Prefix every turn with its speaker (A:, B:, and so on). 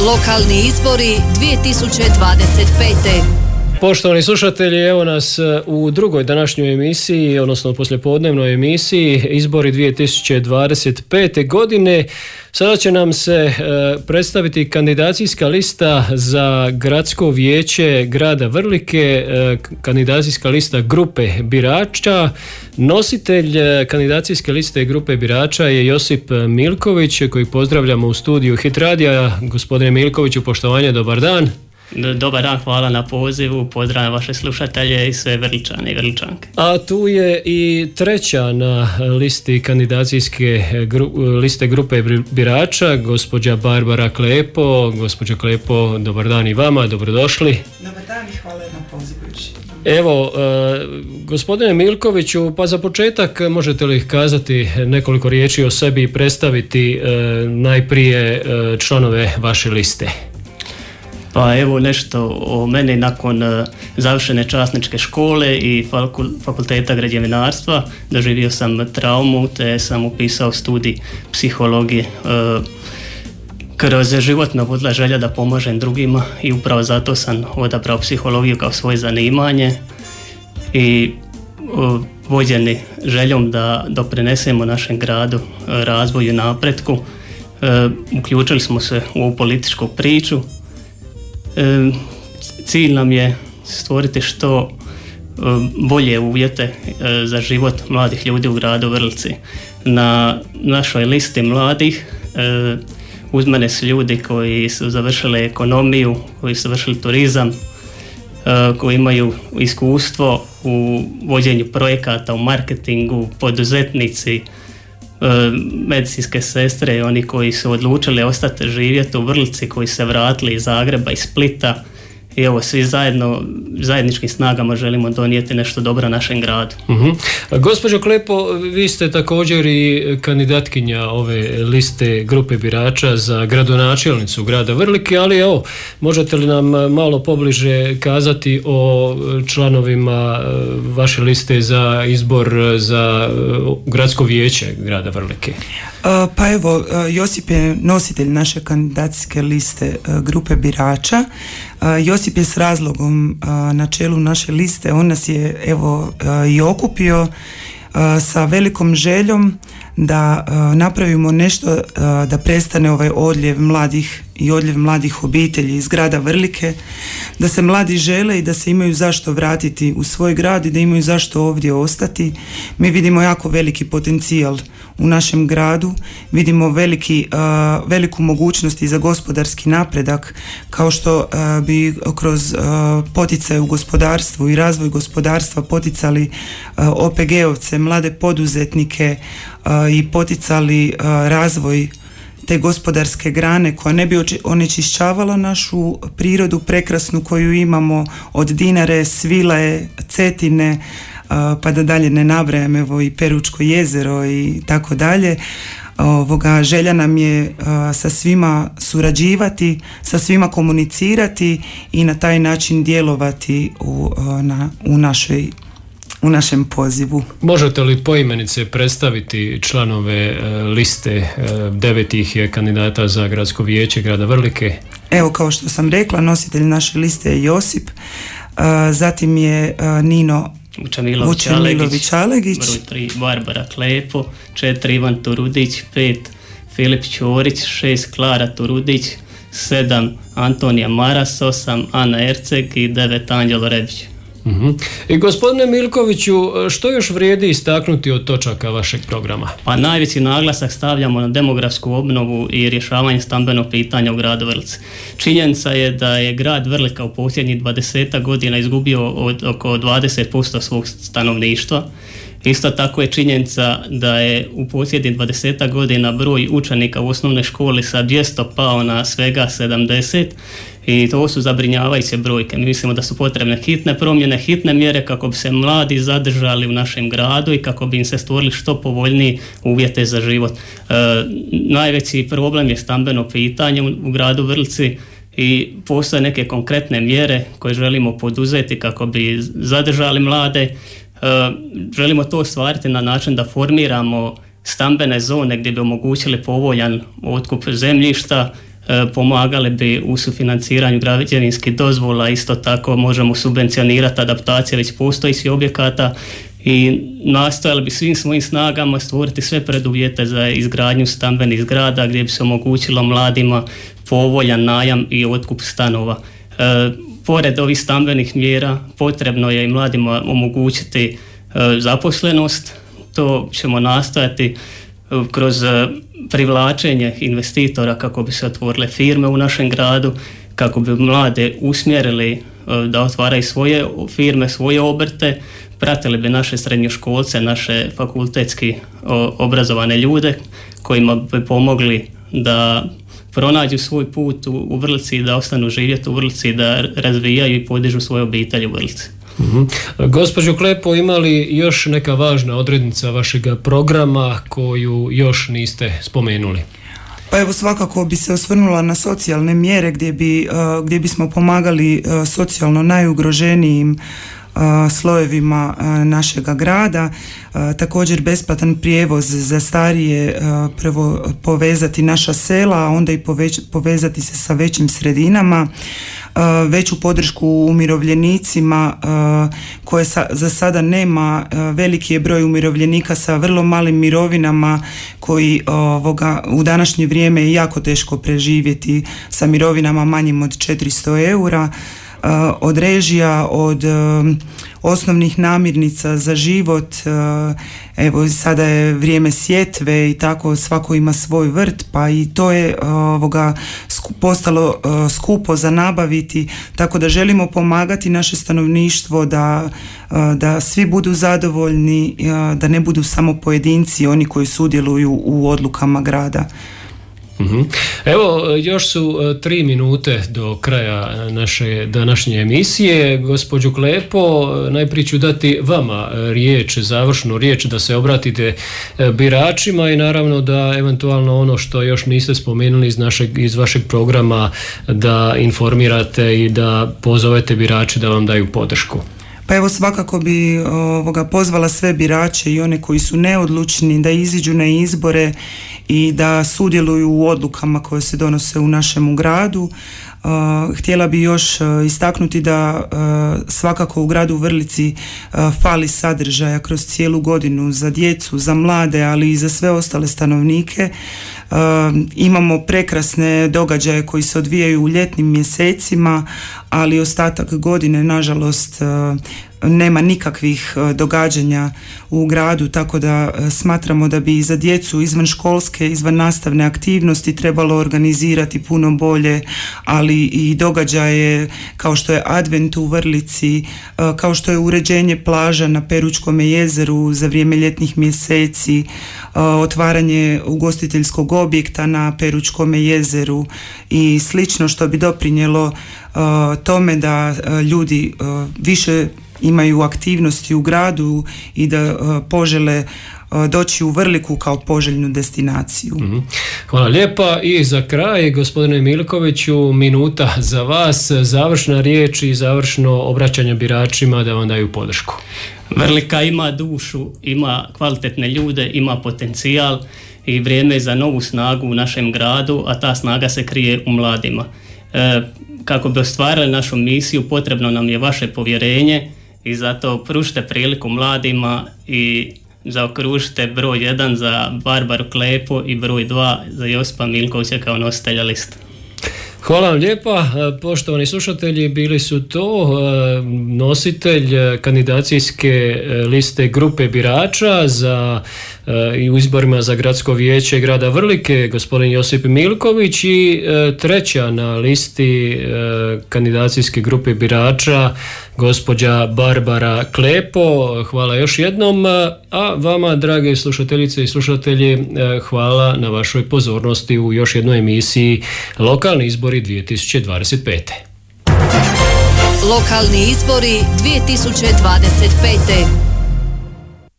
A: Lokalni izbori 2025.
B: Poštovani slušatelji, evo nas u drugoj današnjoj emisiji, odnosno poslijepodnevnoj emisiji, izbori 2025. godine. Sada će nam se predstaviti kandidacijska lista za gradsko vijeće grada Vrlike, kandidacijska lista grupe birača. Nositelj kandidacijske liste grupe birača je Josip Milković, koji pozdravljamo u studiju Hit radija. Gospodine Milkoviću, poštovanje, dobar dan.
C: Dobar dan, hvala na pozivu, pozdravljam vaše slušatelje i sve Vrličane i Vrličanke.
B: A tu je i treća na listi kandidacijske liste grupe birača, gospođa Barbara Klepo. Gospođa Klepo, dobar dan i vama, dobrodošli.
D: Dobar dan i hvala na pozivu.
B: Evo, gospodine Milkoviću, pa za početak možete li kazati nekoliko riječi o sebi i predstaviti najprije članove vaše liste?
C: Pa evo nešto o meni. Nakon završene časničke škole i fakulteta građevinarstva doživio sam traumu te sam upisao studij psihologije. Kroz život me vodila želja da pomažem drugima i upravo zato sam odabrao psihologiju kao svoje zanimanje i vođeni željom da doprinesemo našem gradu razvoju i napretku, uključili smo se u ovu političku priču. Cilj nam je stvoriti što bolje uvjete za život mladih ljudi u gradu Vrlici. Na našoj listi mladih uz mene su ljudi koji su završili ekonomiju, koji su završili turizam, koji imaju iskustvo u vođenju projekata, u marketingu, poduzetnici, medicinske sestre i oni koji su odlučili ostati živjeti u Vrlici, koji se vratili iz Zagreba i Splita. I evo, svi zajedničkim snagama želimo donijeti nešto dobro našem gradu.
B: Gospođo Klepo, vi ste također i kandidatkinja ove liste grupe birača za gradonačelnicu grada Vrlike, ali evo, možete li nam malo pobliže kazati o članovima vaše liste za izbor za gradsko vijeće grada Vrlike?
D: Pa evo, Josip je nositelj naše kandidacijske liste grupe birača. Josip je s razlogom na čelu naše liste. On nas je evo i okupio sa velikom željom da napravimo nešto da prestane ovaj odljev mladih i odljev mladih obitelji iz grada Vrlike, da se mladi žele i da se imaju zašto vratiti u svoj grad i da imaju zašto ovdje ostati. Mi vidimo jako veliki potencijal u našem gradu, vidimo veliku mogućnost i za gospodarski napredak, kao što bi kroz poticaj u gospodarstvu i razvoj gospodarstva poticali OPG-ovce, mlade poduzetnike i poticali razvoj te gospodarske grane koja ne bi onečišćavala našu prirodu prekrasnu koju imamo od Dinare, Svilaje, Cetine, pa da dalje ne nabrajam, evo i Peručko jezero i tako dalje. Želja nam je sa svima surađivati, sa svima komunicirati i na taj način djelovati u našem pozivu.
B: Možete li poimenice predstaviti članove liste 9 kandidata za gradsko vijeće grada Vrlike?
D: Evo, kao što sam rekla, nositelj naše liste je Josip, zatim je Nino Vučemilović-Alegić,
C: broj 3 Barbara Klepo, 4 Ivan Turudić, 5 Filip Ćorić, 6 Klara Turudić, 7 Antonija Maras, 8 Ana Erceg i 9 Anđelo Rebić.
B: I gospodine Milkoviću, što još vrijedi istaknuti od točaka vašeg programa?
C: Pa najveći naglasak stavljamo na demografsku obnovu i rješavanje stambenog pitanja u gradu Vrlici. Činjenica je da je grad Vrlika u posljednjih 20 godina izgubio oko 20% svog stanovništva. Isto tako je činjenica da je u posljednjih 20 godina broj učenika u osnovnoj školi sa 200 pao na svega 70 i to su zabrinjavajuće brojke. Mi mislimo da su potrebne hitne promjene, hitne mjere kako bi se mladi zadržali u našem gradu i kako bi im se stvorili što povoljniji uvjete za život. Najveći problem je stambeno pitanje u gradu Vrlici i postoje neke konkretne mjere koje želimo poduzeti kako bi zadržali mlade. Želimo to ostvariti na način da formiramo stambene zone gdje bi omogućili povoljan otkup zemljišta, pomagali bi u sufinanciranju građevinskih dozvola, isto tako možemo subvencionirati adaptacije već postojećih objekata i nastojali bi svim svojim snagama stvoriti sve preduvjete za izgradnju stambenih zgrada gdje bi se omogućilo mladima povoljan najam i otkup stanova. Pored ovih stambenih mjera potrebno je i mladima omogućiti zaposlenost. To ćemo nastojati kroz privlačenje investitora kako bi se otvorile firme u našem gradu, kako bi mlade usmjerili da otvaraju svoje firme, svoje obrte, pratili bi naše srednjoškolce, naše fakultetski obrazovane ljude kojima bi pomogli da pronađu svoj put u Vrlici i da ostanu živjeti u Vrlici, da razvijaju i podižu svoje obitelji u Vrlici.
B: Gospođo Klepo, ima li još neka važna odrednica vašeg programa koju još niste spomenuli?
D: Pa evo, svakako bi se osvrnula na socijalne mjere gdje bismo pomagali socijalno najugroženijim slojevima našega grada. Također besplatan prijevoz za starije, prvo povezati naša sela, a onda i povezati se sa većim sredinama, veću podršku umirovljenicima koje za sada nema. Veliki je broj umirovljenika sa vrlo malim mirovinama koji u današnje vrijeme je jako teško preživjeti sa mirovinama manjim od 400 eura. Od režija, od osnovnih namirnica za život. Evo, sada je vrijeme sjetve i tako svako ima svoj vrt, pa i to je postalo skupo za nabaviti, tako da želimo pomagati naše stanovništvo da svi budu zadovoljni, da ne budu samo pojedinci oni koji sudjeluju u odlukama grada.
B: Evo, još su 3 minute do kraja naše današnje emisije. Gospođo Klepo, najprije ću dati vama riječ, završnu riječ, da se obratite biračima i naravno da eventualno ono što još niste spomenuli iz vašeg programa da informirate i da pozovete birače da vam daju podršku.
D: Pa evo, svakako bi pozvala sve birače i one koji su neodlučni da iziđu na izbore i da sudjeluju u odlukama koje se donose u našem gradu. Htjela bi još istaknuti da svakako u gradu Vrlici fali sadržaja kroz cijelu godinu za djecu, za mlade, ali i za sve ostale stanovnike. Imamo prekrasne događaje koji se odvijaju u ljetnim mjesecima, ali ostatak godine nažalost nema nikakvih događanja u gradu, tako da smatramo da bi za djecu izvan školske, izvan nastavne aktivnosti trebalo organizirati puno bolje, ali i događaje kao što je Advent u Vrlici, kao što je uređenje plaža na Peručkom jezeru za vrijeme ljetnih mjeseci, otvaranje ugostiteljskog objekta na Peručkom jezeru i slično, što bi doprinijelo tome da ljudi više imaju aktivnosti u gradu i da požele doći u Vrliku kao poželjnu destinaciju.
B: Hvala lijepa. I za kraj, gospodine Milkoviću, minuta za vas, završna riječ i završno obraćanje biračima da vam daju podršku.
C: Vrlika ima dušu, ima kvalitetne ljude, ima potencijal i vrijeme je za novu snagu u našem gradu, a ta snaga se krije u mladima. Kako bi ostvarili našu misiju, potrebno nam je vaše povjerenje i zato pružite priliku mladima i zaokružite broj 1 za Barbaru Klepo i broj 2 za Josipa Milkovića kao nositelja liste.
B: Hvala vam lijepa. Poštovani slušatelji, bili su to nositelj kandidacijske liste grupe birača i u izborima za gradsko vijeće grada Vrlike, gospodin Josip Milković, i treća na listi kandidacijske grupe birača gospođa Barbara Klepo. Hvala još jednom, a vama, drage slušateljice i slušatelji, hvala na vašoj pozornosti u još jednoj emisiji Lokalni izbori 2025.
A: Lokalni izbori 2025.